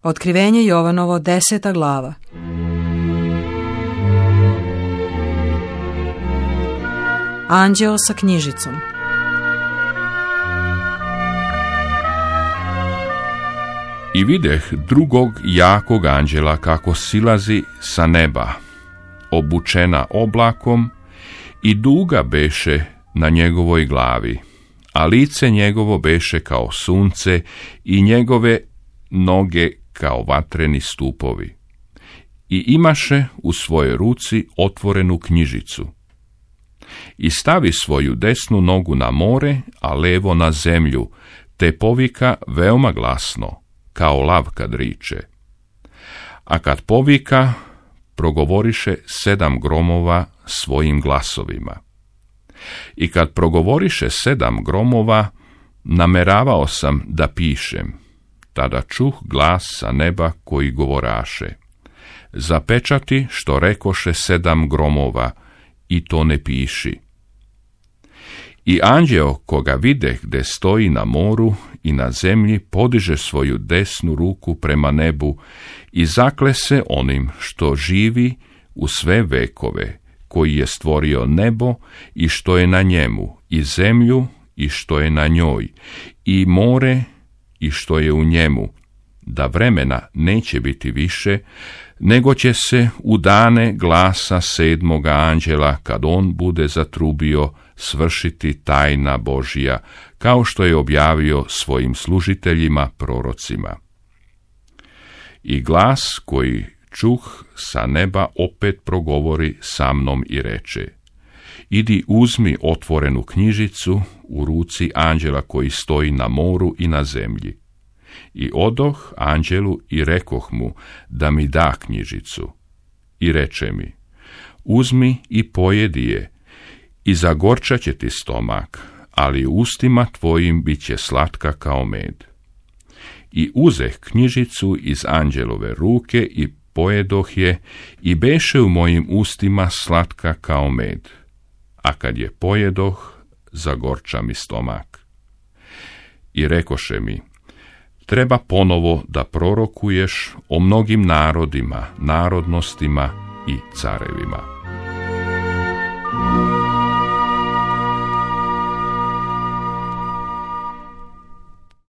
Otkrivenje Jovanovo 10. glava. Anđeo sa knjižicom. I videh drugog jakog anđela kako silazi sa neba, obučena oblakom, i duga beše na njegovoj glavi, a lice njegovo beše kao sunce i njegove noge kao vatreni stupovi. I imaše u svojoj ruci otvorenu knjižicu. I stavi svoju desnu nogu na more, a levo na zemlju, te povika veoma glasno, kao lav kad riče. A kad povika, progovoriše 7 gromova svojim glasovima. I kad progovoriše 7 gromova, nameravao sam da pišem, tada čuh glas sa neba koji govoraše: zapečati što rekoše 7 gromova, i to ne piši. I anđeo koga videh gde stoji na moru i na zemlji podiže svoju desnu ruku prema nebu i zakle se onim što živi u sve vekove, koji je stvorio nebo i što je na njemu, i zemlju i što je na njoj, i more i što je u njemu, da vremena neće biti više, nego će se u dane glasa 7. anđela, kad on bude zatrubio, svršiti tajna Božja, kao što je objavio svojim služiteljima prorocima. I glas koji čuh sa neba opet progovori sa mnom i reče: idi uzmi otvorenu knjižicu u ruci anđela koji stoji na moru i na zemlji. I odoh anđelu i rekoh mu da mi da knjižicu. I reče mi: uzmi i pojedi je, i zagorčat će ti stomak, ali ustima tvojim bit će slatka kao med. I uzeh knjižicu iz anđelove ruke i pojedoh je, i beše u mojim ustima slatka kao med. A kad je pojedoh, zagorča mi stomak. I rekoše mi: treba ponovo da prorokuješ o mnogim narodima, narodnostima i carevima.